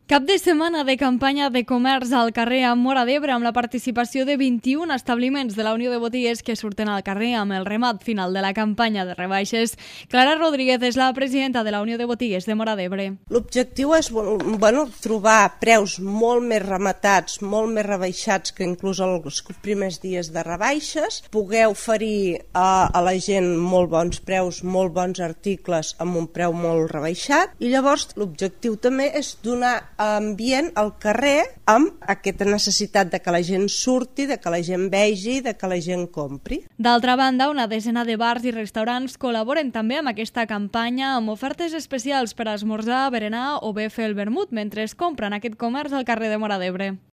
Cap de setmana de campanya de comerç al carrer a Móra d'Ebre amb la participació de 21 establiments de la Unió de Botiguers que surten al carrer amb el remat final de la campanya de rebaixes. Clara Rodríguez és la presidenta de la Unió de Botiguers de Móra d'Ebre. L'objectiu és trobar preus molt més rematats, molt més rebaixats que inclús els primers dies de rebaixes, poder oferir a la gent molt bons preus, molt bons articles amb un preu molt rebaixat, i llavors l'objectiu també és donar ambient al carrer amb aquesta necessitat de que la gent surti, de que la gent vegi, de que la gent compri. D'altra banda, una desena de bars i restaurants col·laboren també amb aquesta campanya amb ofertes especials per a esmorzar, berenar o bé fer el vermut mentre es compren aquest comerç al carrer de Móra d'Ebre.